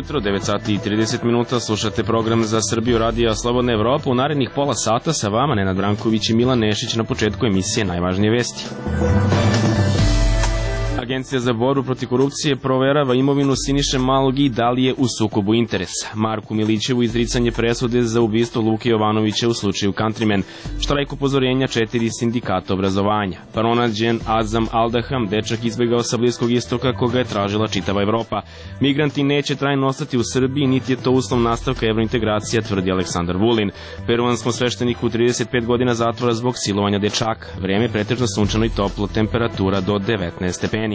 Jutro, 9 sati i 30 minuta, slušate program za Srbiju radija Slobodna Evropa. U narednih pola sata sa vama Nenad Branković i Milan Nešić. Na početku emisije najvažnije vesti. Agencija za borbu protiv korupcije proverava imovinu Siniše Malog i da li je u sukobu interesa. Marku Milićevu izricanje presude za ubistvo Luke Jovanovića u slučaju Countryman. Štrajk upozorenja 4 sindikata obrazovanja. Pronađen Azam Aldaham, dečak izbegao sa Bliskog istoka koga je tražila čitava Evropa. Migranti neće trajno ostati u Srbiji, niti je to uslov nastavka evrointegracija, tvrdi Aleksandar Vulin. Peruanskom svešteniku 35 godina zatvora zbog silovanja dečaka. Vreme pretežno sunčano i toplo, temperatura do 19 stepeni.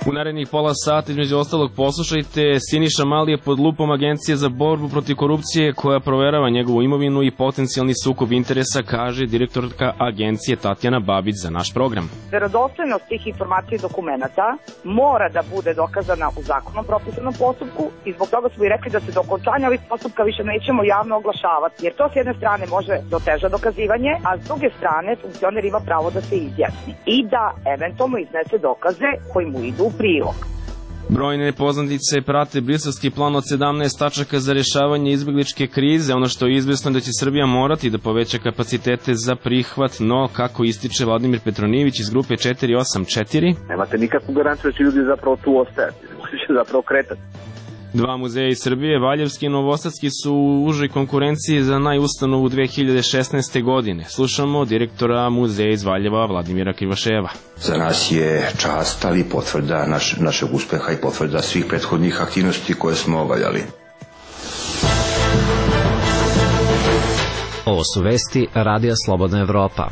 U narednih pola sata, između ostalog, poslušajte, Siniša Mali je pod lupom Agencije za borbu protiv korupcije koja proverava njegovu imovinu i potencijalni sukob interesa, kaže direktorka agencije Tatjana Babić za naš program. Verodostojnost tih informacija i dokumenata mora da bude dokazana u zakonom propisanom postupku i zbog toga smo i rekli da se do okončanja ovih postupka više nećemo javno oglašavati, jer to s jedne strane može da oteža dokazivanje, a s druge strane funkcioner ima pravo da se izjasni i da eventualno iznese dokaze koji mu idu u prilog. Brojne nepoznanice prate briselski plan od 17 tačaka za rešavanje izbegličke krize. Ono što je izvesno da će Srbija morati da poveća kapacitete za prihvat, no kako ističe Vladimir Petronijević iz grupe 484, nemate nikakvu garanciju da će ljudi zapravo tu ostajati, da će zapravo kretati. Dva muzeja iz Srbije, Valjevski i Novosadski, su u užoj konkurenciji za najustanovu 2016. godine. Slušamo direktora muzeja iz Valjeva, Vladimira Krivoševa. Za nas je čast, ali potvrda našeg uspeha i potvrda svih prethodnih aktivnosti koje smo obavljali. Ovo su vesti Radija Slobodna Evropa.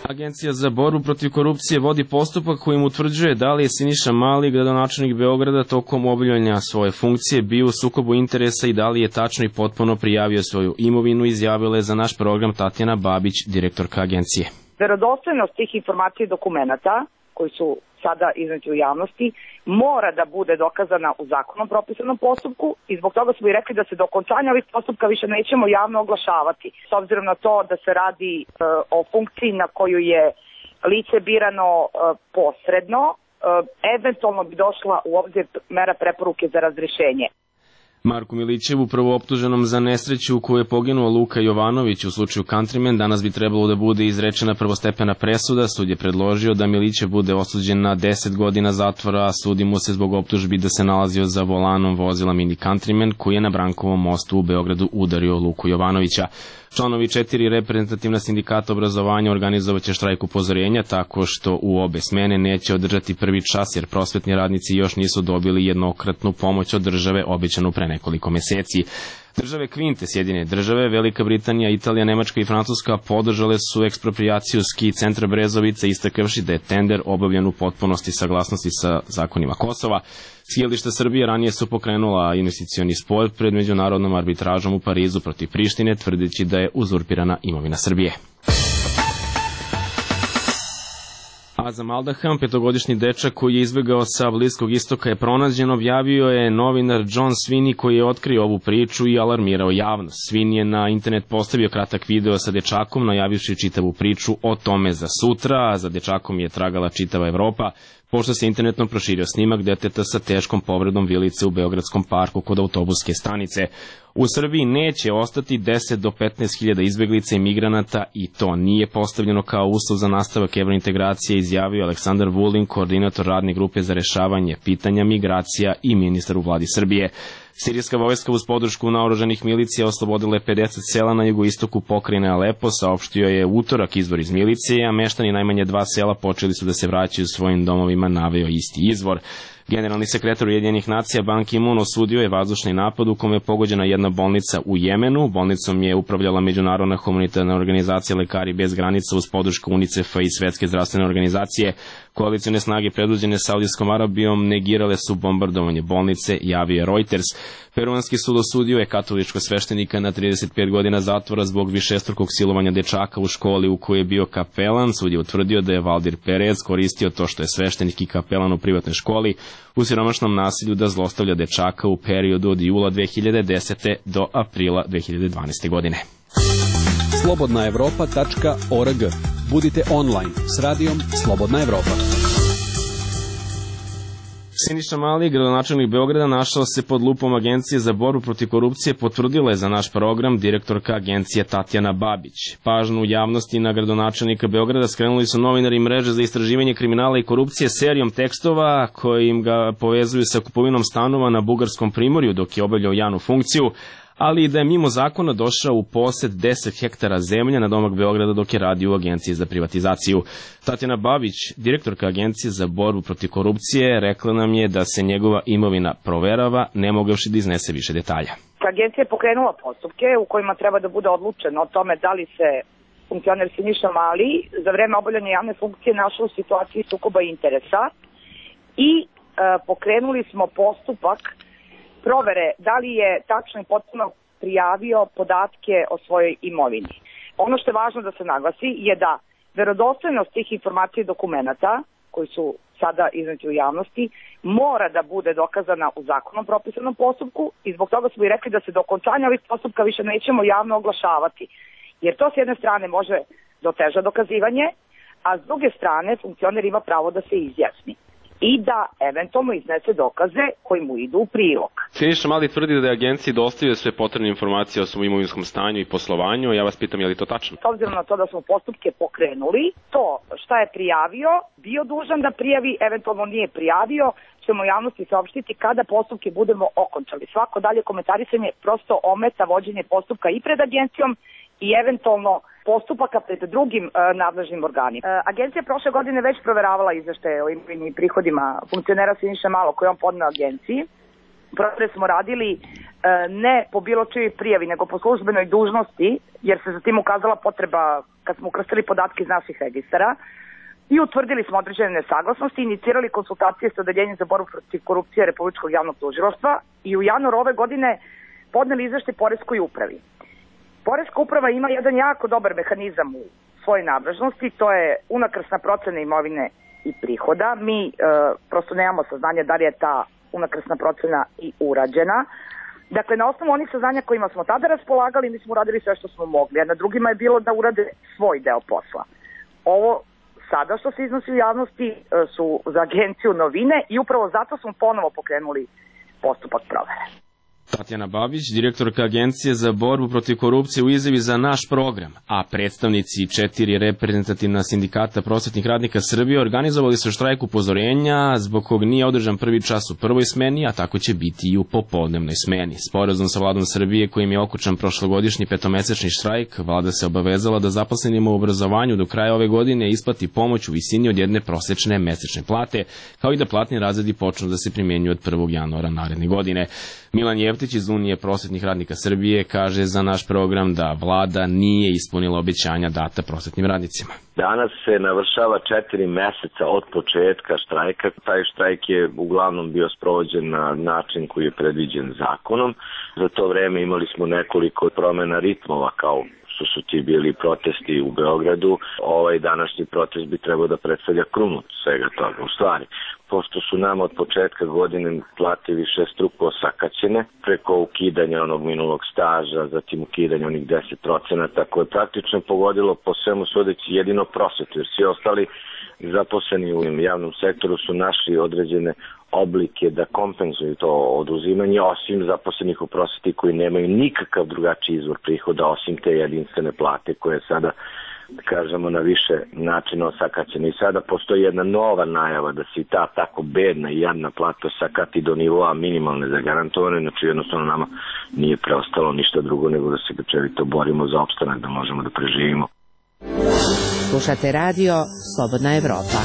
Agencija za borbu protiv korupcije vodi postupak kojim utvrđuje da li je Siniša Mali, gradonačelnik Beograda, tokom obavljanja svoje funkcije bio u sukobu interesa i da li je tačno i potpuno prijavio svoju imovinu, izjavila je za naš program Tatjana Babić, direktorka agencije. Verodostojnost tih informacija i dokumenata koji su sada između javnosti mora da bude dokazana u zakonom propisanom postupku i zbog toga smo i rekli da se do okončanja ovih postupka više nećemo javno oglašavati. S obzirom na to da se radi o funkciji na koju je lice birano posredno, eventualno bi došla u obzir mera preporuke za razrešenje. Marku Milićevu, prvooptuženom za nesreću u kojoj je poginuo Luka Jovanović u slučaju Countryman, danas bi trebalo da bude izrečena prvostepena presuda. Sud je predložio da Milićev bude osuđen na 10 godina zatvora, a sudi mu se zbog optužbi da se nalazio za volanom vozila Mini Countryman koji je na Brankovom mostu u Beogradu udario Luku Jovanovića. Članovi 4 reprezentativna sindikata obrazovanja organizovaće štrajk upozorenja tako što u obe smene neće održati prvi čas jer prosvetni radnici još nisu dobili jednokratnu pomoć od države obećanu pre nekoliko meseci. Države Kvinte, Sjedinjene države, Velika Britanija, Italija, Nemačka i Francuska podržale su eksproprijaciju ski centra Brezovica, istakavši da je tender obavljen u potpunosti saglasnosti sa zakonima Kosova. Skijališta Srbije ranije su pokrenula investicioni spor pred međunarodnom arbitražom u Parizu protiv Prištine, tvrdeći da je uzurpirana imovina Srbije. Azam Aldaham, petogodišnji dečak koji je izbegao sa Bliskog istoka, je pronađen, objavio je novinar John Sweeney koji je otkrio ovu priču i alarmirao javnost. Sweeney je na internet postavio kratak video sa dečakom, najavivši čitavu priču o tome za sutra, a za dečakom je tragala čitava Evropa, pošto se internetom proširio snimak deteta sa teškom povredom vilice u Beogradskom parku kod autobuske stanice. U Srbiji neće ostati 10 do 15 hiljada izbeglica i migranata i to nije postavljeno kao uslov za nastavak evrointegracije, izjavio Aleksandar Vulin, koordinator radne grupe za rešavanje pitanja migracija i ministar u vladi Srbije. Sirijska vojska uz podršku naoružanih milicija oslobodila je 50 sela na jugoistoku pokrajine Alepo, saopštio je utorak izvor iz milicije, a meštani najmanje 2 sela počeli su da se vraćaju svojim domovima, naveo isti izvor. Generalni sekretar Ujedinjenih nacija Ban Ki-moon osudio je vazdušni napad u kome je pogođena jedna bolnica u Jemenu. Bolnicom je upravljala međunarodna humanitarna organizacija Lekari bez granica uz podršku UNICEF-a i Svetske zdravstvene organizacije. Koalicione snage predvođene Saudijskom Arabijom negirale su bombardovanje bolnice, javio Reuters. Peruanski sud osudio je katoličkog sveštenika na 35 godina zatvora zbog višestrukog silovanja dečaka u školi u kojoj je bio kapelan. Sud je utvrdio da je Valdir Perez koristio to što je sveštenik i kapelan u privatnoj školi u siromašnom nasilju da zlostavlja dečaka u periodu od jula 2010. do aprila 2012. godine. slobodnaevropa.org. Budite online s radijom Slobodna Evropa. Siniša Mali, gradonačelnik Beograda, našao se pod lupom Agencije za borbu protiv korupcije, potvrdila je za naš program direktorka agencije Tatjana Babić. Pažnju javnosti na gradonačelnika Beograda skrenuli su novinari mreže za istraživanje kriminala i korupcije serijom tekstova kojim ga povezuju sa kupovinom stanova na Bugarskom primorju dok je obavljao javnu funkciju, ali i da je mimo zakona došao u posed 10 hektara zemlje na domak Beograda dok je radio u Agenciji za privatizaciju. Tatjana Babić, direktorka Agencije za borbu protiv korupcije, rekla nam je da se njegova imovina proverava, ne mogavši da iznese više detalja. Agencija je pokrenula postupke u kojima treba da bude odlučeno o tome da li se funkcioner Siniša Mali za vreme obavljanja javne funkcije našao u situaciji sukoba interesa i pokrenuli smo postupak provere da li je tačno i potpuno prijavio podatke o svojoj imovini. Ono što je važno da se naglasi je da verodostojnost tih informacija i dokumenata koji su sada izneti u javnosti mora da bude dokazana u zakonom propisanom postupku i zbog toga smo i rekli da se do okončanja ovih postupka više nećemo javno oglašavati. Jer to s jedne strane može da oteža dokazivanje, a s druge strane funkcioner ima pravo da se izjasni i da eventualno iznese dokaze koji mu idu u prilog. Siniša Mali tvrdi da je agenciji dostavio sve potrebne informacije o svom imovinskom stanju i poslovanju. Ja vas pitam, je li to tačno? S obzirom na to da smo postupke pokrenuli, to šta je prijavio, bio dužan da prijavi, eventualno nije prijavio, ćemo javnosti saopštiti kada postupke budemo okončali. Svako dalje komentarisanje prosto ometa vođenje postupka i pred agencijom i eventualno postupaka pred drugim nadležnim organima. Agencija prošle godine već proveravala izveštaje o imovini i prihodima funkcionera Siniše Malog koje on podneo agenciji. Provere smo radili ne po bilo čijoj prijavi, nego po službenoj dužnosti, jer se za tim ukazala potreba kad smo ukrstili podatke iz naših registara i utvrdili smo određene nesaglasnosti, inicirali konsultacije sa Odeljenjem za borbu protiv korupcije Republičkog javnog tužilaštva i u januaru ove godine podneli izveštaj Poreskoj upravi. Poreska uprava ima jedan jako dobar mehanizam u svojoj nadležnosti, to je unakrsna procena imovine i prihoda. Mi prosto nemamo saznanja da li je ta unakrsna procena i urađena. Dakle, na osnovu onih saznanja kojima smo tada raspolagali, mi smo uradili sve što smo mogli, a na drugima je bilo da urade svoj deo posla. Ovo sada što se iznosi u javnosti su za agenciju novine i upravo zato smo ponovo pokrenuli postupak provere. Tatjana Babić, direktorka Agencije za borbu protiv korupcije u izjavi za naš program, a predstavnici 4 reprezentativna sindikata prosvetnih radnika Srbije organizovali su štrajk upozorenja zbog kog nije održan prvi čas u prvoj smeni, a tako će biti i u popodnevnoj smeni. Sporazum sa vladom Srbije kojim je okučan prošlogodišnji petomesečni štrajk, vlada se obavezala da zaposlenima u obrazovanju do kraja ove godine isplati pomoć u visini od jedne prosečne mesečne plate, kao i da platni razredi počnu da se primenjuju od 1. januara naredne godine. Milan Jevtić iz Unije prosvetnih radnika Srbije kaže za naš program da vlada nije ispunila obećanja data prosvetnim radnicima. Danas se navršava 4 meseca od početka štrajka. Taj štrajk je uglavnom bio sprovođen na način koji je predviđen zakonom. Za to vreme imali smo nekoliko promena ritmova kao što su ti bili protesti u Beogradu. Ovaj današnji protest bi trebao da predstavlja krunu svega toga. U stvari, pošto su nam od početka godine plate više struko osakaćene, preko ukidanja onog minulog staža, zatim ukidanja onih 10%, koje je praktično pogodilo po svemu sudeći jedino prosvetu, jer svi ostali zaposleni u javnom sektoru su našli određene oblike da kompenzuju to oduzimanje, osim zaposlenih u prosveti koji nemaju nikakav drugačiji izvor prihoda, osim te jedinstvene plate koje sada, kažemo, na više načina osakaćena. I sada postoji jedna nova najava da se ta tako bedna i jadna plata osakati do nivoa minimalne zagarantovane, znači jednostavno nama nije preostalo ništa drugo nego da se grčevito borimo za opstanak, da možemo da preživimo. Slušate radio Slobodna Evropa.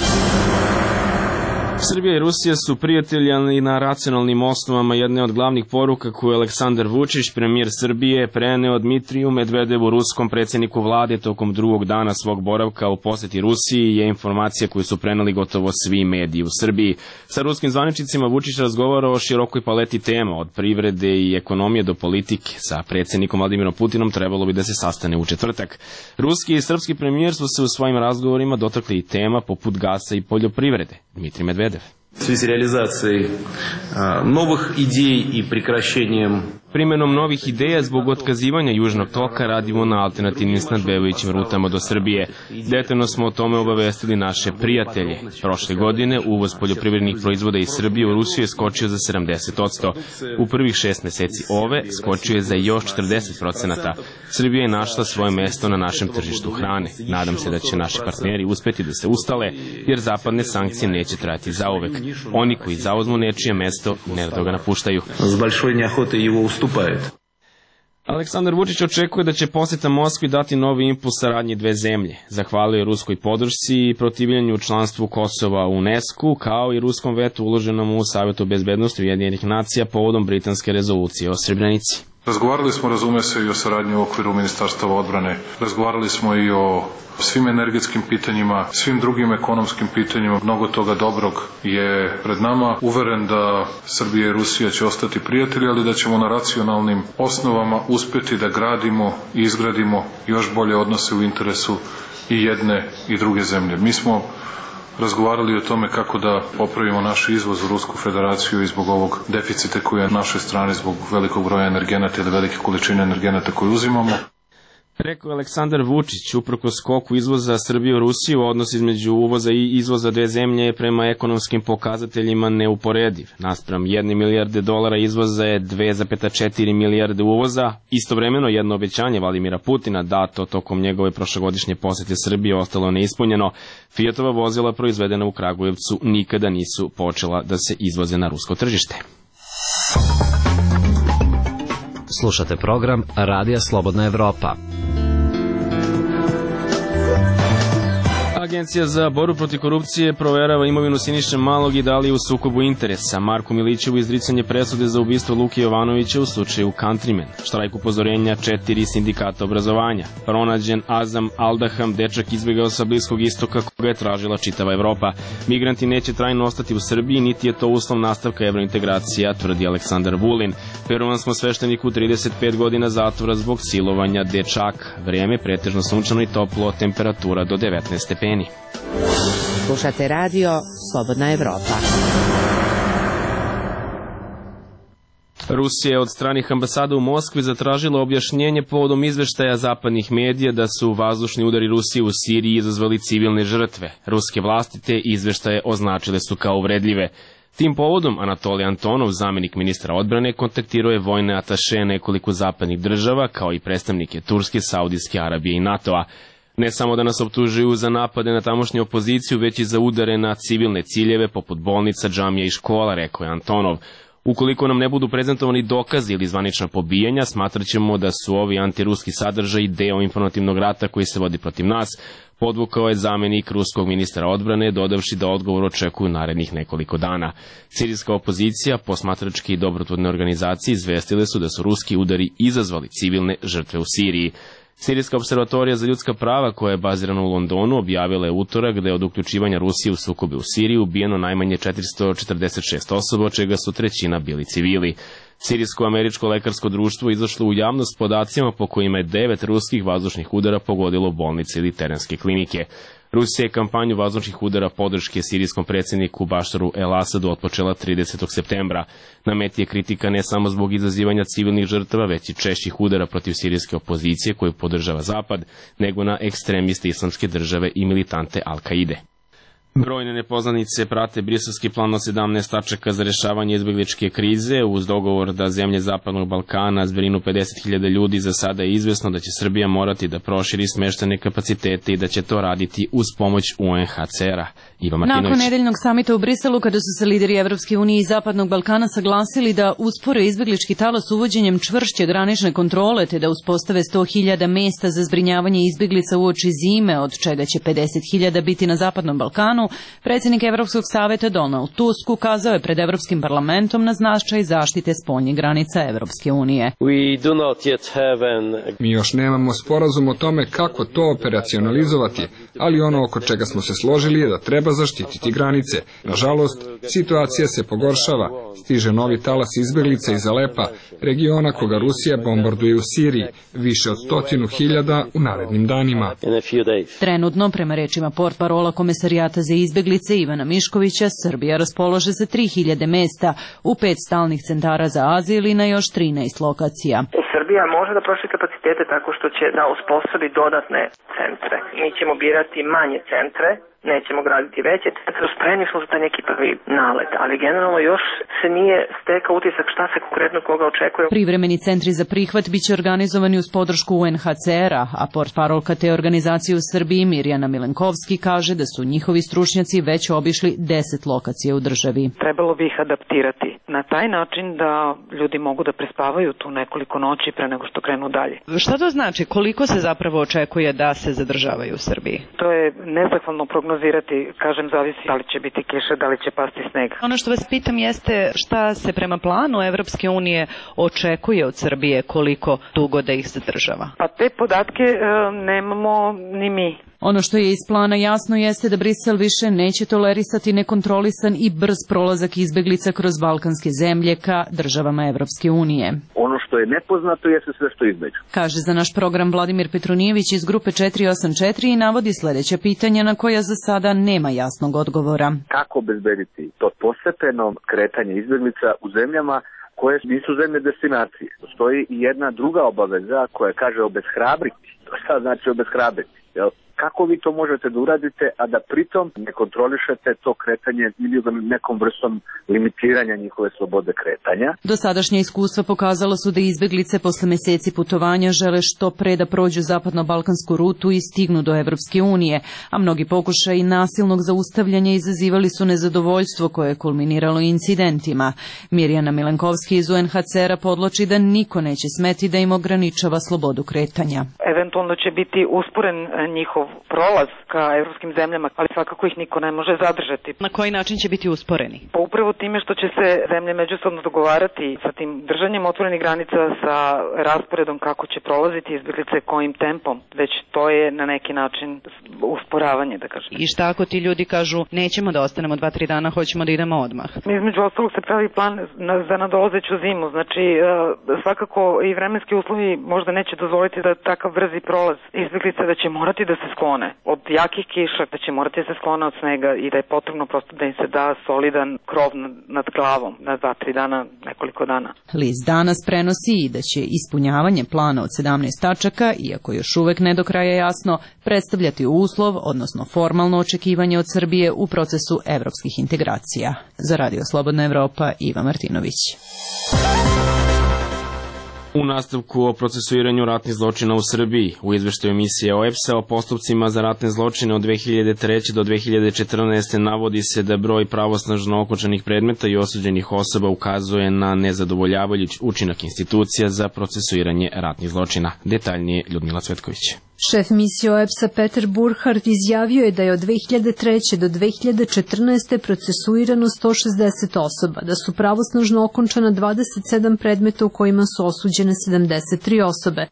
Srbija i Rusija su prijatelji, ali na racionalnim osnovama. Jedna od glavnih poruka koju je Aleksandar Vučić, premijer Srbije, preneo Dmitriju Medvedevu, ruskom predsjedniku vlade, tokom drugog dana svog boravka u posjeti Rusiji, je informacija koju su preneli gotovo svi mediji u Srbiji. Sa ruskim zvaničnicima Vučić razgovarao o širokoj paleti tema, od privrede i ekonomije do politike. Sa predsjednikom Vladimirom Putinom trebalo bi da se sastane u četvrtak. Ruski i srpski premijer su se u svojim razgovorima dotakli i tema poput gasa i poljoprivrede. Dmitrij Medvedev. В связи с реализацией новых идей и прекращением Primenom novih ideja zbog otkazivanja Južnog toka radimo na alternativnim snabdevajućim rutama do Srbije. Detaljno smo o tome obavestili naše prijatelje. Prošle godine uvoz poljoprivrednih proizvoda iz Srbije u Rusiju je skočio za 70%. U prvih 6 meseci ove skočio je za još 40%. Srbija je našla svoje mesto na našem tržištu hrane. Nadam se da će naši partneri uspeti da se ustale, jer zapadne sankcije neće trajati zauvek. Oni koji zauzmu nečije mesto nerado ga napuštaju. с большой неохотой его уступают. Aleksandar Vučić očekuje da će posjeta Moskvi dati novi impuls saradnji dve zemlje. Zahvalio je ruskoj podršci i protivljenju članstvu Kosova u UNESCO, kao i ruskom vetu uloženom u Savjetu bezbednosti Ujedinjenih nacija povodom britanske rezolucije o Srebrenici. Razgovarali smo, razume se, i o saradnji u okviru Ministarstva odbrane. Razgovarali smo i o svim energetskim pitanjima, svim drugim ekonomskim pitanjima. Mnogo toga dobrog je pred nama. Uveren da Srbija i Rusija će ostati prijatelji, ali da ćemo na racionalnim osnovama uspeti da gradimo i izgradimo još bolje odnose u interesu i jedne i druge zemlje. Mi smo razgovarali o tome kako da popravimo naš izvoz u Rusku federaciju i zbog ovog deficita koji je na našoj strani zbog velikog broja energenata ili velike količine energenata koje uzimamo. Rekao je Aleksandar Vučić, uprkos skoku izvoza Srbije u Rusiju, odnos između uvoza i izvoza dve zemlje je prema ekonomskim pokazateljima neuporediv. Naspram 1 milijarde dolara izvoza je 2,4 milijarde uvoza. Istovremeno jedno obećanje Vladimira Putina dato tokom njegove prošlogodišnje posete Srbije ostalo neispunjeno. Fiatova vozila proizvedena u Kragujevcu nikada nisu počela da se izvoze na rusko tržište. Slušate program Radija Slobodna Evropa. Agencija za borbu protiv korupcije proverava imovinu Siniše Malog i da li je u sukobu interesa. Marku Milićevu izricanje presude za ubistvo Luke Jovanovića u slučaju Countryman. Štrajk upozorenja 4 sindikata obrazovanja. Pronađen Azam Aldaham, dečak izbjegao sa Bliskog istoka koga je tražila čitava Evropa. Migranti neće trajno ostati u Srbiji, niti je to uslov nastavka evrointegracija, tvrdi Aleksandar Vulin. Peruvan smo svešteniku 35 godina zatvora zbog silovanja dečaka. Vrijeme pretežno sunčano i toplo, temperatura do 19 stepeni. Slušate radio Slobodna Evropa. Rusija je od stranih ambasada u Moskvi zatražila objašnjenje povodom izveštaja zapadnih medija da su vazdušni udari Rusije u Siriji izazvali civilne žrtve. Ruske vlasti te izveštaje označile su kao uvredljive. Tim povodom Anatolij Antonov, zamjenik ministra odbrane, kontaktirao je vojne ataše nekoliko zapadnih država, kao i predstavnike Turske, Saudijske Arabije i NATO-a. Ne samo da nas optužuju za napade na tamošnju opoziciju, već i za udare na civilne ciljeve poput bolnica, džamija i škola, rekao je Antonov. Ukoliko nam ne budu prezentovani dokazi ili zvanična pobijanja, smatrat ćemo da su ovi antiruski sadržaji deo informativnog rata koji se vodi protiv nas, podvukao je zamjenik ruskog ministra odbrane, dodavši da odgovor očekuju narednih nekoliko dana. Sirijska opozicija, posmatračke i dobrotvorne organizacije izvestile su da su ruski udari izazvali civilne žrtve u Siriji. Sirijska observatorija za ljudska prava, koja je bazirana u Londonu, objavila je utorak da je od uključivanja Rusije u sukobe u Siriji ubijeno najmanje 446 osoba, od čega su trećina bili civili. Sirijsko-američko lekarsko društvo izašlo u javnost podacima po kojima je 9 ruskih vazdušnih udara pogodilo bolnice ili terenske klinike. Rusija je kampanju vazdušnih udara podrške sirijskom predsjedniku Bašaru el-Asadu otpočela 30. septembra. Na meti je kritika ne samo zbog izazivanja civilnih žrtava, već i češćih udara protiv sirijske opozicije koju podržava Zapad, nego na ekstremiste Islamske države i militante Al-Kaide. Brojne nepoznanice prate briselski plan od 17 tačaka za rješavanje izbjegličke krize. Uz dogovor da zemlje Zapadnog Balkana zbrinu 50.000 ljudi, za sada je izvesno da će Srbija morati da proširi smještajne kapacitete i da će to raditi uz pomoć UNHCR-a. Iva Martinović. Nakon nedeljnog samita u Briselu, kada su se lideri Evropske unije i Zapadnog Balkana saglasili da uspore izbjeglički talas uvođenjem čvršće granične kontrole, te da uspostave 100.000 mesta za zbrinjavanje izbjeglica uoči zime, od čega će 50.000 biti na Zapadnom Balkanu, Balkanu, predsjednik Evropskog saveta Donald Tusk ukazao je pred Evropskim parlamentom na značaj zaštite spoljnih granica Evropske unije. Mi još nemamo sporazum o tome kako to operacionalizovati, ali ono oko čega smo se složili je da treba zaštititi granice. Nažalost, situacija se pogoršava. Stiže novi talas izbjeglica iz Alepa, regiona koga Rusija bombarduje u Siriji, više od 100.000 u narednim danima. Trenutno, prema rečima portparola Komesarijata za izbjeglice Ivana Miškovića, Srbija raspolaže sa 3.000 mesta u 5 stalnih centara za azil i na još 13 lokacija. Srbija može da proširi kapacitete tako što će da uspostavi dodatne centre. Mi ćemo birati manje centre, nećemo graditi veće centre, spremni smo za taj neki prvi nalet, ali generalno još se nije stekao utisak šta se konkretno koga očekuje. Privremeni centri za prihvat biće organizovani uz podršku UNHCR-a, a portparolka te organizacije u Srbiji Mirjana Milenkovski kaže da su njihovi stručnjaci već obišli 10 lokacija u državi. Trebalo bi ih adaptirati na taj način da ljudi mogu da prespavaju tu nekoliko noći pre nego što krenu dalje. Šta to znači? Koliko se zapravo očekuje da se zadržavaju u Srbiji? To je nezahvalno prognozirati, kažem, zavisi da li će biti kiša, da li će pasti sneg. Ono što vas pitam jeste šta se prema planu Evropske unije očekuje od Srbije, koliko dugo da ih zadržava? Pa te podatke nemamo ni mi. Ono što je iz plana jasno jeste da Brisel više neće tolerisati nekontrolisan i brz prolazak izbeglica kroz balkanske zemlje ka državama Evropske unije. Ono što je nepoznato jeste sve što između. Kaže za naš program Vladimir Petronijević iz grupe 484 i navodi sledeća pitanja na koja za sada nema jasnog odgovora. Kako obezbediti to postepeno kretanje izbeglica u zemljama koje nisu zemlje destinacije? Postoji i jedna druga obaveza koja kaže obeshrabriti. To šta znači obeshrabriti? Jel? Kako vi to možete da uradite, a da pritom ne kontrolišete to kretanje ili nekom vrstom limitiranja njihove slobode kretanja? Dosadašnja iskustva pokazala su da izbeglice posle meseci putovanja žele što pre da prođu zapadno-balkansku rutu i stignu do Evropske unije, a mnogi pokušaji nasilnog zaustavljanja izazivali su nezadovoljstvo koje je kulminiralo incidentima. Mirjana Milenkovski iz UNHCR-a podloči da niko neće smeti da im ograničava slobodu kretanja. Eventualno će biti usporen njihov prolaz ka evropskim zemljama, ali svakako ih niko ne može zadržati. Na koji način će biti usporeni? Pa upravo time što će se zemlje međusobno dogovarati sa tim držanjem otvorenih granica, sa rasporedom kako će prolaziti izbeglice, kojim tempom, već to je na neki način usporavanje, da kažem. I šta ako ti ljudi kažu nećemo da ostanemo 2-3 dana, hoćemo da idemo odmah? Između ostalog se pravi plan za nadolazeću zimu, znači svakako i vremenski uslovi možda neće dozvoliti da takav brzi prolaz izbeglica, da će morati da se sklone od jakih kiša, da će morati da se sklone od snega i da je potrebno prosto da im se da solidan krov nad glavom na 2-3 dana, nekoliko dana. List danas prenosi i da će ispunjavanje plana od 17 tačaka, iako još uvek ne do kraja jasno, predstavljati uslov, odnosno formalno očekivanje od Srbije u procesu evropskih integracija. Za Radio Slobodna Evropa, Iva Martinović. U nastavku o procesuiranju ratnih zločina u Srbiji, u izveštaju emisije OEPS-a o postupcima za ratne zločine od 2003. do 2014. navodi se da broj pravosnažno okončanih predmeta i osuđenih osoba ukazuje na nezadovoljavajući učinak institucija za procesuiranje ratnih zločina. Detaljnije Ljudmila Cvetković. Šef misije OEPS-a Peter Burkhardt izjavio je da je od 2003. do 2014. procesuirano 160 osoba, da su pravosnažno okončana 27 predmeta u kojima su osuđene 73 osobe.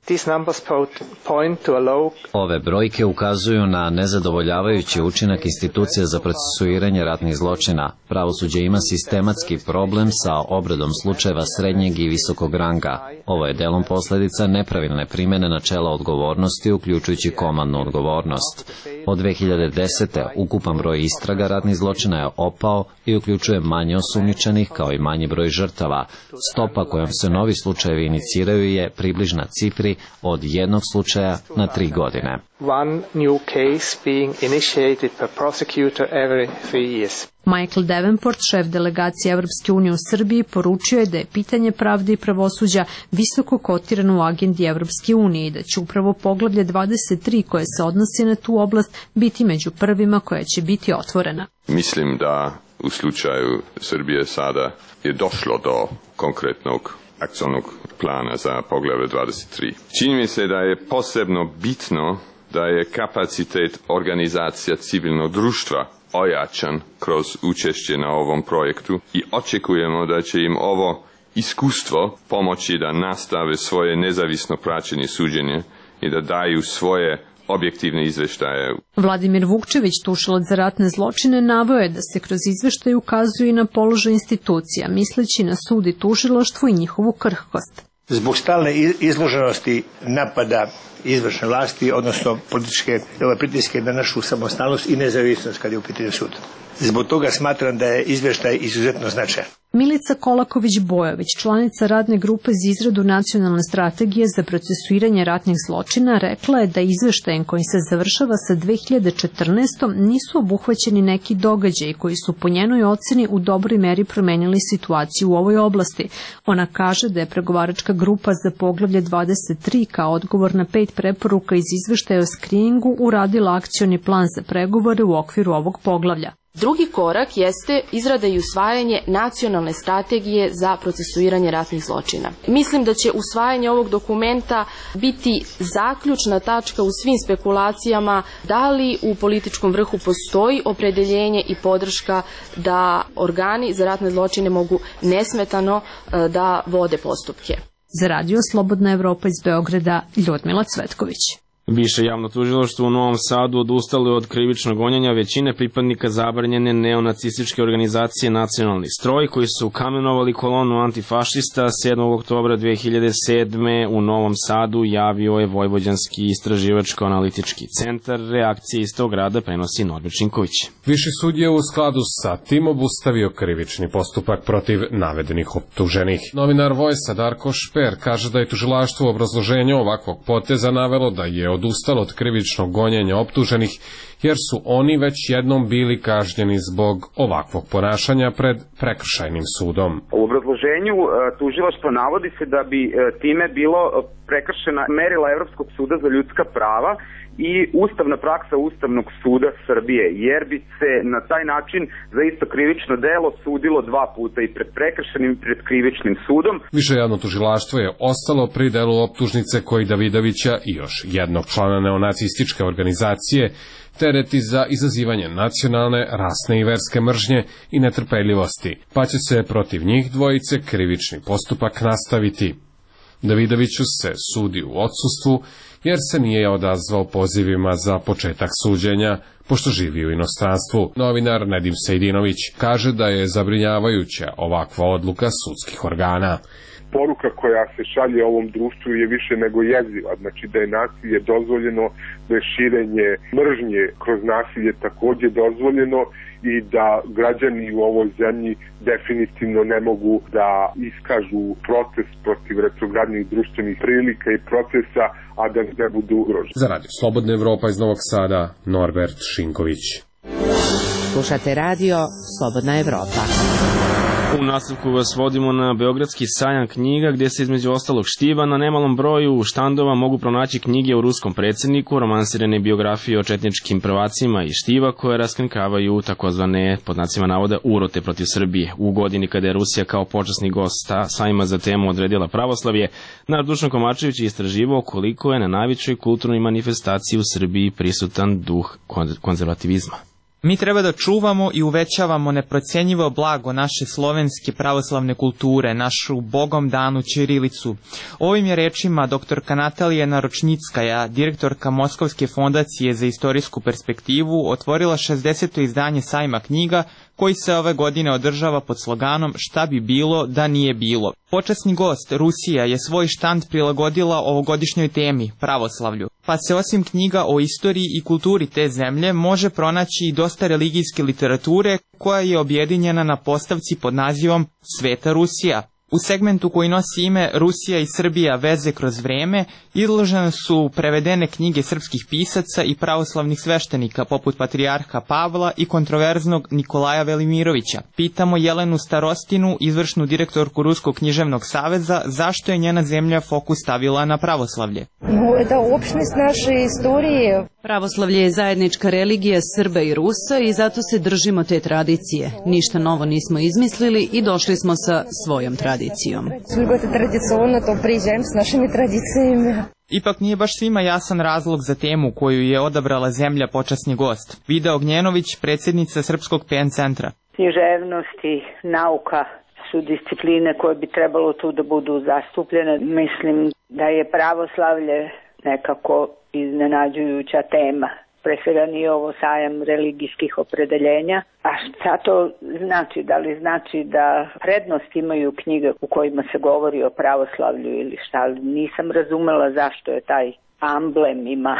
Ove brojke ukazuju na nezadovoljavajući učinak institucija za procesuiranje ratnih zločina. Pravosuđe ima sistematski problem sa obradom slučajeva srednjeg i visokog ranga. Ovo je delom posledica nepravilne primene načela odgovornosti, uključujući komandnu odgovornost. Od 2010. ukupan broj istraga ratnih zločina je opao i uključuje manje osumnjičenih kao i manji broj žrtava. Stopa kojom se novi slučajevi iniciraju je približna cifri od jednog slučaja na 3 godine. Michael Davenport, šef delegacije Evropske unije u Srbiji, poručio je da je pitanje pravde i pravosuđa visoko kotirano u agendi Evropske unije i da će upravo poglavlje 23 koje se odnosi na tu oblast biti među prvima koja će biti otvorena. Mislim da u slučaju Srbije sada je došlo do konkretnog akcionog plana za poglavlje 23. Čini mi se da je posebno bitno da je kapacitet organizacija civilnog društva ojačan kroz učešće na ovom projektu i očekujemo da će im ovo iskustvo pomoći da nastave svoje nezavisno praćenje suđenja i da daju svoje objektivne izveštaje. Vladimir Vukčević, tužilac za ratne zločine, naveo je da se kroz izveštaj ukazuje i na položaj institucija, misleći na sud i tužilaštvo i njihovu krhkost. Zbog stalne izloženosti napada izvršne vlasti, odnosno političke pritiske na našu samostalnost i nezavisnost kad je u pitanju sud. Zbog toga smatram da je izveštaj izuzetno značajan. Milica Kolaković-Bojović, članica radne grupe za izradu nacionalne strategije za procesuiranje ratnih zločina, rekla je da izveštajem koji se završava sa 2014. nisu obuhvaćeni neki događaji koji su po njenoj oceni u dobroj meri promenili situaciju u ovoj oblasti. Ona kaže da je pregovaračka grupa za poglavlje 23 kao odgovor na 5 preporuka iz izveštaja o skriningu uradila akcioni plan za pregovore u okviru ovog poglavlja. Drugi korak jeste izrada i usvajanje nacionalne strategije za procesuiranje ratnih zločina. Mislim da će usvajanje ovog dokumenta biti zaključna tačka u svim spekulacijama da li u političkom vrhu postoji opredeljenje i podrška da organi za ratne zločine mogu nesmetano da vode postupke. Za Radio Slobodna Evropa iz Beograda, Ljudmila Cvetković. Više javno tužilaštvo u Novom Sadu odustalo je od krivičnog gonjenja većine pripadnika zabranjene neonacističke organizacije Nacionalni stroj, koji su kamenovali kolonu antifašista 7. oktobra 2007. u Novom Sadu, javio je Vojvođanski istraživačko-analitički centar. Reakcije iz tog rada prenosi Norbert Šinković. Viši sud je u skladu sa tim obustavio krivični postupak protiv navedenih optuženih. Novinar Vojsa Darko Šper kaže da je tužilaštvo u obrazloženju ovakvog poteza navelo da je odustalo od krivičnog gonjenja optuženih, jer su oni već jednom bili kažnjeni zbog ovakvog ponašanja pred prekršajnim sudom. U obrazloženju tužilaštvo navodi se da bi time bilo prekršena merila Evropskog suda za ljudska prava i ustavna praksa Ustavnog suda Srbije, jer bi se na taj način za isto krivično delo sudilo 2 puta, i pred prekršajnim i pred krivičnim sudom. Više javno tužilaštvo je ostalo pri delu optužnice koji Davidovića i još jednog člana neonacističke organizacije tereti za izazivanje nacionalne, rasne i verske mržnje i netrpeljivosti, pa će se protiv njih dvojice krivični postupak nastaviti. Davidoviću se sudi u odsustvu jer se nije odazvao pozivima za početak suđenja, pošto živi u inostranstvu. Novinar Nedim Sejdinović kaže da je zabrinjavajuća ovakva odluka sudskih organa. Poruka koja se šalje ovom društvu je više nego jeziva, znači da je nasilje dozvoljeno, da je širenje mržnje kroz nasilje takođe dozvoljeno i da građani u ovoj zemlji definitivno ne mogu da iskažu protest protiv retrogradnih društvenih prilika i procesa, a da ne budu ugroženi. Za Radio Slobodna Evropa iz Novog Sada, Norbert Šinković. Slušate Radio Slobodna Evropa. U nastavku vas vodimo na Beogradski sajam knjiga, gdje se između ostalog štiva na nemalom broju štandova mogu pronaći knjige o ruskom predsjedniku, romansirane biografije o četničkim prvacima i štiva koje raskrinkavaju takozvane, pod znacima navoda, urote protiv Srbije. U godini kada je Rusija kao počasni gost sajma za temu odredila pravoslavlje, naš Dušan Komačević je istraživao koliko je na najvećoj kulturnoj manifestaciji u Srbiji prisutan duh konzervativizma. Mi treba da čuvamo i uvećavamo neprocenjivo blago naše slovenske pravoslavne kulture, našu bogom danu ćirilicu. Ovim je rečima doktorka Natalija Naročnickaja, direktorka Moskovske fondacije za istorijsku perspektivu, otvorila 60. izdanje sajma knjiga, koji se ove godine održava pod sloganom "Šta bi bilo da nije bilo". Počasni gost, Rusija, je svoj štand prilagodila ovogodišnjoj temi, pravoslavlju, pa se osim knjiga o istoriji i kulturi te zemlje može pronaći i dosta religijske literature koja je objedinjena na postavci pod nazivom Sveta Rusija. U segmentu koji nosi ime Rusija i Srbija, veze kroz vreme, izložene su prevedene knjige srpskih pisaca i pravoslavnih sveštenika poput patrijarha Pavla i kontroverznog Nikolaja Velimirovića. Pitamo Jelenu Starostinu, izvršnu direktorku Ruskog književnog saveza, zašto je njena zemlja fokus stavila na pravoslavlje. Pravoslavlje je zajednička religija Srba i Rusa i zato se držimo te tradicije. Ništa novo nismo izmislili i došli smo sa svojom tradicijom. Ipak nije baš svima jasan razlog za temu koju je odabrala zemlja počasni gost. Vida Ognjenović, predsjednica Srpskog PN centra. Književnost i nauka su discipline koje bi trebalo tu da budu zastupljene. Mislim da je pravoslavlje nekako iznenađujuća tema. Pre svega nije ovo sajam religijskih opredeljenja. A šta to znači? Da li znači da prednost imaju knjige u kojima se govori o pravoslavlju ili šta? Nisam razumela zašto je taj amblem ima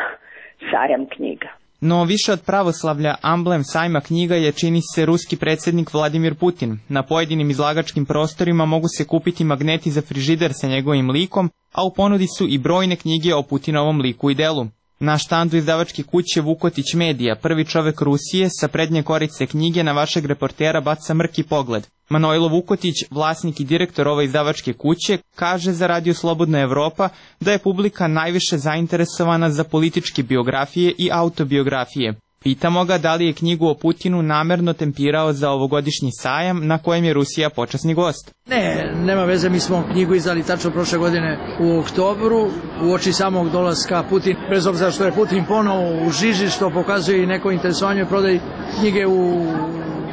sajam knjiga. No više od pravoslavlja amblem sajma knjiga je, čini se, ruski predsjednik Vladimir Putin. Na pojedinim izlagačkim prostorima mogu se kupiti magneti za frižider sa njegovim likom, a u ponudi su i brojne knjige o Putinovom liku i delu. Na štandu izdavačke kuće Vukotić Medija, prvi čovek Rusije, sa prednje korice knjige na vašeg reportera baca mrki pogled. Manojlo Vukotić, vlasnik i direktor ove izdavačke kuće, kaže za Radio Slobodna Evropa da je publika najviše zainteresovana za političke biografije i autobiografije. Pitamo ga da li je knjigu o Putinu namerno tempirao za ovogodišnji sajam na kojem je Rusija počasni gost. Ne, nema veze, mi smo knjigu izdali tačno prošle godine u oktobru, uoči samog dolaska Putin. Bez obzira što je Putin ponovo u žiži, što pokazuje i neko interesovanje prodaji knjige u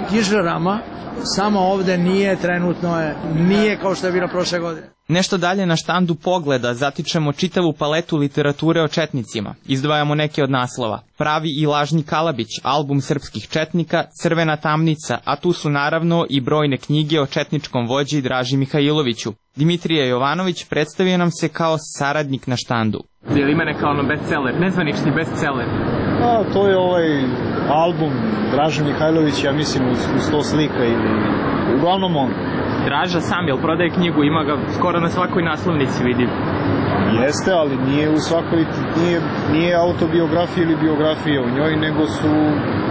knjižarama, samo ovde nije trenutno, nije kao što je bilo prošle godine. Nešto dalje na štandu Pogleda zatičemo čitavu paletu literature o četnicima. Izdvajamo neke od naslova. Pravi i lažni Kalabić, album srpskih četnika, Crvena tamnica, a tu su naravno i brojne knjige o četničkom vođi Draži Mihajloviću. Dimitrije Jovanović predstavio nam se kao saradnik na štandu. Je li ima neka bestseller, nezvanični bestseller? To je album Draže Mihajlović, ja mislim uz 100 slika ili uglavnom on. Draža sam, jel prodaje knjigu, ima ga skoro na svakoj naslovnici, vidim. Jeste, ali nije u svakoj, nije autobiografija ili biografija u njoj, nego su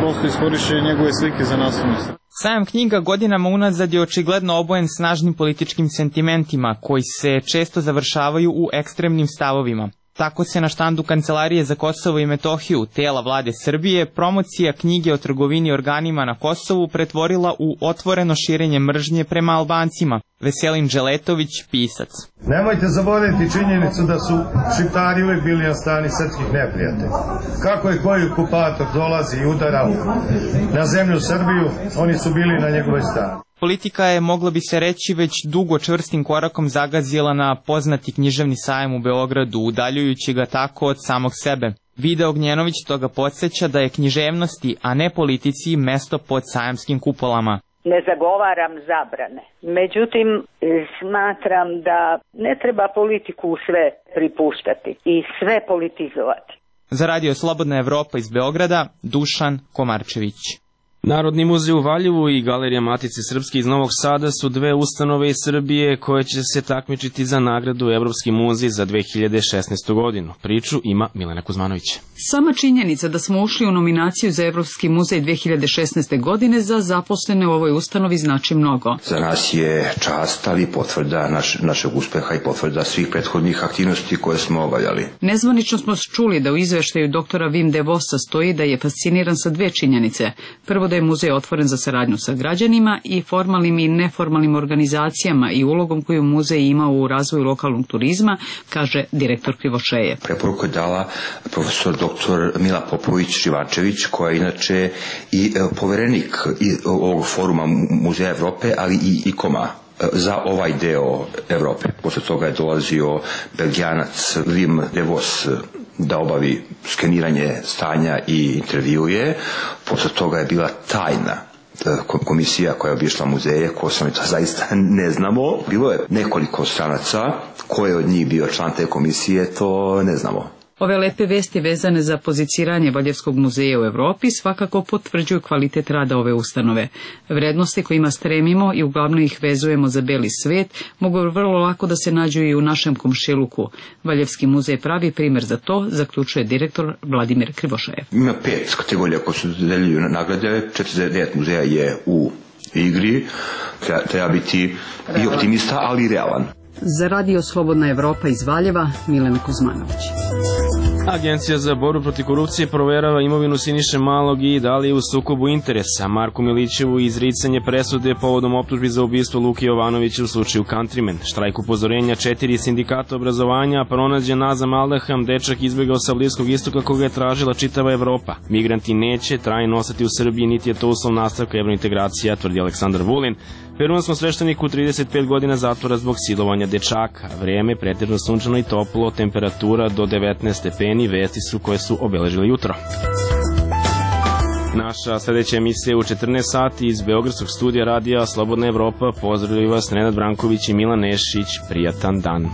prosto iskorišćene njegove slike za naslovnicu. Sajam knjiga godinama unazad je očigledno obojen snažnim političkim sentimentima, koji se često završavaju u ekstremnim stavovima. Tako se na štandu Kancelarije za Kosovo i Metohiju, tela vlade Srbije, promocija knjige o trgovini organima na Kosovu pretvorila u otvoreno širenje mržnje prema Albancima. Veselin Dželetović, pisac. Nemojte zaboraviti činjenicu da su Šiptari uvijek bili na strani srpskih neprijatelja. Kako je koji okupator dolazi i udara na zemlju Srbiju, oni su bili na njegovoj strani. Politika je, moglo bi se reći, već dugo čvrstim korakom zagazila na poznati književni sajam u Beogradu, udaljujući ga tako od samog sebe. Vida Ognjenović toga podsjeća da je književnosti, a ne politici, mesto pod sajamskim kupolama. Ne zagovaram zabrane. Međutim, smatram da ne treba politiku u sve pripuštati i sve politizovati. Za Radio Slobodna Evropa iz Beograda, Dušan Komarčević. Narodni muzej u Valjevu i Galerija Matice Srpske iz Novog Sada su dve ustanove iz Srbije koje će se takmičiti za nagradu Evropski muzej za 2016. godinu. Priču ima Milena Kuzmanović. Sama činjenica da smo ušli u nominaciju za Evropski muzej 2016. godine za zaposlene u ovoj ustanovi znači mnogo. Za nas je čast, ali potvrda našeg uspeha i potvrda svih prethodnih aktivnosti koje smo obavljali. Nezvanično smo čuli da u izveštaju doktora Wim de Vossa stoji da je fasciniran sa dve činjenice. Prvo, da je muzej otvoren za saradnju sa građanima i formalnim i neformalnim organizacijama i ulogom koju muzej ima u razvoju lokalnog turizma, kaže direktor Krivošeje. Preporuku je dala profesor dr. Mila Popović-Živančević, koja je inače i poverenik ovog foruma Muzeja Evrope, ali i ICOM-a za ovaj deo Evrope. Posle toga je dolazio Belgijanac Wim de Vos da obavi skeniranje stanja i intervjuje. Posle toga je bila tajna komisija koja je obišla muzeje, ko sam to zaista ne znamo. Bilo je nekoliko stranaca, ko je od njih bio član te komisije, to ne znamo. Ove lepe vesti vezane za poziciranje Valjevskog muzeja u Evropi svakako potvrđuju kvalitet rada ove ustanove. Vrednosti kojima stremimo i uglavnom ih vezujemo za beli svet mogu vrlo lako da se nađu i u našem komšiluku. Valjevski muzej pravi primer za to, zaključuje direktor Vladimir Krivošejev. Ima 5 kategorija koje su deljuju nagrade, 49 muzeja je u igri, treba biti i optimista, ali i realan. Za Radio Slobodna Evropa iz Valjeva, Milena Kuzmanović. Agencija za borbu protiv korupcije proverava imovinu Siniše Malog i da li je u sukobu interesa. Marku Milićevu izricanje presude povodom optužbi za ubistvo Luke Jovanovića u slučaju Countryman. Štrajk upozorenja 4 sindikata obrazovanja, pronađen Nazam Aldaham, dečak izbegao sa Bliskog istoka koga je tražila čitava Evropa. Migranti neće trajno ostati u Srbiji, niti je to uslov nastavka evrointegracija, tvrdi Aleksandar Vulin. Peruanskom svešteniku 35 godina zatvora zbog silovanja dečaka. Vreme pretežno sunčano i toplo, temperatura do 19 stepeni, vesti su koje su obeležili jutro. Naša sledeća emisija je u 14 sati iz Beogradskog studija radija Slobodna Evropa. Pozdravljaju vas Nenad Branković i Milan Nešić. Prijatan dan.